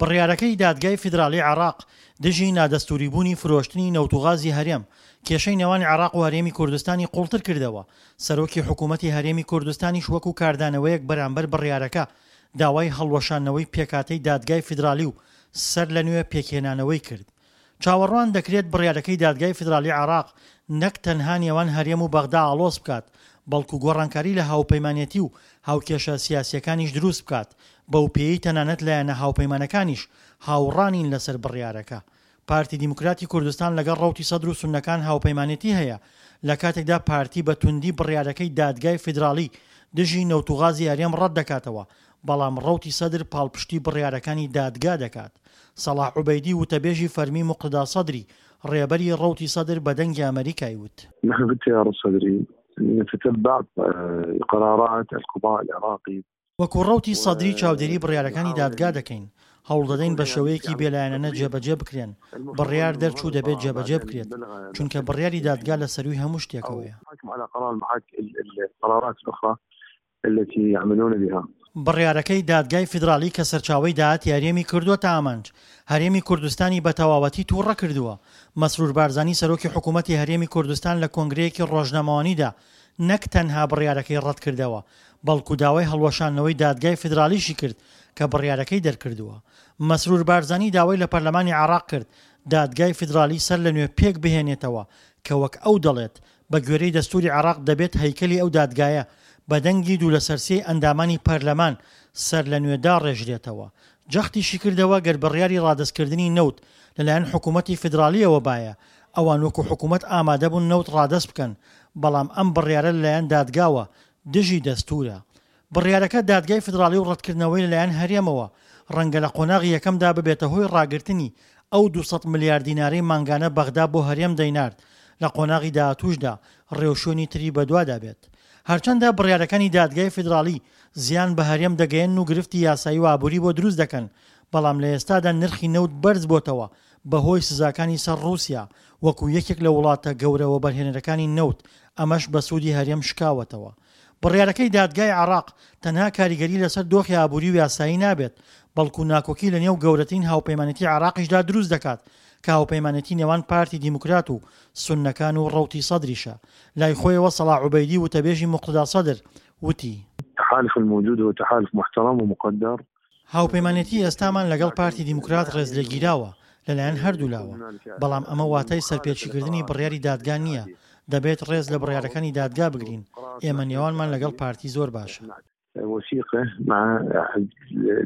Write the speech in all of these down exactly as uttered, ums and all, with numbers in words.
بڕیارەکەی دادگای فیدراڵی عێراق دژی نادەستووریبوونی فرۆشتنی نەوت و غازی هەرێم، کێشەی نێوان عێراق و هەرێمی کوردستانی قوڵتر کردەوە، سەرۆکی حکوومەتی هەرێمی کوردستانیش وەکو کاردانەوەیەک بەرامبەر بڕیارەکە داوای هەڵوەشاندنەوەی پێکهاتەی دادگای فیدراڵی و سەر لەنوێ پێکهێنانەوەی کرد. چاوەڕوان دەکرێت بڕیارەکەی دادگای فیدراڵی عێراق نەک تەنها نێوان هەرێم و بەغدا ئاڵۆز بکات، بەڵکو گۆڕانکاری لە هاوپەیمانێتی و هاوکێشە سیاسییەکانیش دروست بکات، بەوپێیەی تەنانەت لایەنە هاوپەیمانەکانیش هاوڕا نین لەسەر بڕیارەکە. پارتی دیموکراتی کوردستان لەگەڵ ڕەوتی سەدر و سوننەکان هاوپەیمانێتی هەیە، لە کاتێکدا پارتی بە توندی بڕیارەکەی دادگای فیدراڵی دژی نەوت و غازی هەرێم ڕەتدەکاتەوە، بەڵام ڕەوتی سەدر پاڵپشتی بڕیارەکانی دادگا دەکات. سەڵاح عوبەیدی وتەبێژی فەرمی موقتەدا سەدری، ڕێبەری ڕەوتی سەدر بە دەنگی ئەمەریکای وت. نحن في التيار الصدري نتتبع قرارات القضاء العراقي. وەکو ڕەوتی سەدری چاودێری بڕیارەکانی دادگا دەکەین، هەوڵدەدەین بە شێوەیەکی بێلایەنانە جێبەجێ بکرێن، بڕیار دەرچوو دەبێت جێبەجێ بکرێت، چونکە بڕیاری دادگا لە سەرووی هەموو شتێکەوەیە. بڕیارەکەی دادگای فیدراڵی کە سەرچاوەی داهاتی هەرێمی کردووەتە ئامانج، هەرێمی کوردستانی بە تەواوەتی تووڕە کردووە. مەسرور بارزانی سەرۆکی حکوومەتی هەرێمی کوردستان لە کۆنگرەیەکی ڕۆژنامەوانیدا نەک تەنها بڕیارەکەی ڕەتکردەوە، بەڵکو داوای هەڵوەشاندنەوەی دادگای فیدراڵیشی کرد کە بڕیارەکەی دەرکردووە. مەسرور بارزانی داوای لە پەرلەمانی عێراق کرد دادگای فیدراڵی سەر لە نوێ پێک بهێنێتەوە کە وەک ئەو دەڵێت بە گوێرەی دەستووری عێراق دەبێت هەیکەلی ئەو دادگایە بە دەنگی دوو لەسەر سێی ئەندامانی پەرلەمان سەر لە نوێ داڕێژرێتەوە. جەختیشی کردەوە گەر بڕیاری ڕادەستکردنی نەوت لەلایەن حکوومەتی فیدراڵییەوە بایە، ئەوان وەکو حکوومەت ئامادەبوون نەوت ڕادەست بکەن، بەڵام ئەم بڕیارە لەلایەن دادگاوە دژی دەستوورە. بڕیارەکە دادگای فیدراڵی و ڕەتکردنەوەی لەلایەن هەرێمەوە ڕەنگە لە قۆناغی یەکەمدا ببێتە هۆی ڕاگرتنی ئەو دوو سەد ملیار دینارەی مانگانە بەغدا بۆ هەرێم دەینارد، لە قۆناغی داهاتووشدا ڕێوشوێنی تری بەدوادا بێت. هەرچەندە بڕیارەکانی دادگای فیدراڵی زیان بە هەرێم دەگەیەنن و گرفتی یاسایی و ئابووری بۆ دروست دەکەن، بەڵام لە ئێستادا نرخی نەوت بەرز بۆتەوە بەهۆی سزاکانی سەر ڕووسیا وەکو یەکێک لە وڵاتە گەورە وەبەرهێنەرەکانی نەوت، ئەمەش بە سوودی هەرێم شکاوەتەوە. بڕیارەکەی دادگای عێراق تەنها کاریگەری لەسەر دۆخی ئابووری و یاسایی نابێت، بەڵکو ناکۆکی لەنێو گەورەترین هاوپەیمانێتی عێراقیشدا دروست دەکات کە هاوپەیمانێتی نێوان پارتی دیموکرات و سوننەکان و ڕەوتی سەدریشە. لای خۆیەوە سەڵاح عوبەیدی وتەبێژی موقتەدا سەدر وتی، التحالف الموجود هو تحالف محترم ومقدر. هاوپەیمانێتی ئێستامان لەگەڵ پارتی دیموکرات ڕێزلێگیراوە لەلایەن هەردوولاوە، بەڵام ئەمە واتای سەرپێچیکردنی بڕیاری دادگا نییە، دەبێت ڕێز لە بڕیارەکانی دادگا بگرین، ئێمە نێوانمان لەگەڵ پارتی زۆر باشە. وثيقة مع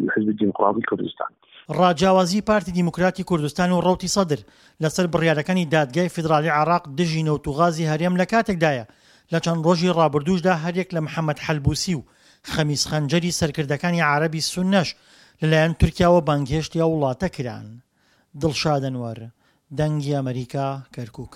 الحزب الديمقراطي الكردستان. ڕاجیاوازی پارتی دیموکراتی کوردستان و ڕەوتی سەدر لەسەر بڕیارەکانی دادگای فیدراڵی عێراق دژی نەوت و غازی هەرێم لە کاتێکدایە لە چەند ڕۆژی ڕابردووشدا هەریەک لە محەمەد حەلبوسی و خەمیس خەنجەری سەرکردەکانی عەرەبی سوننەش لەلایەن تورکیاوە بانگهێشتی ئەو وڵاتە کران. دڵشاد ئەنوەر، دەنگی ئەمەریکا، کەرکوک.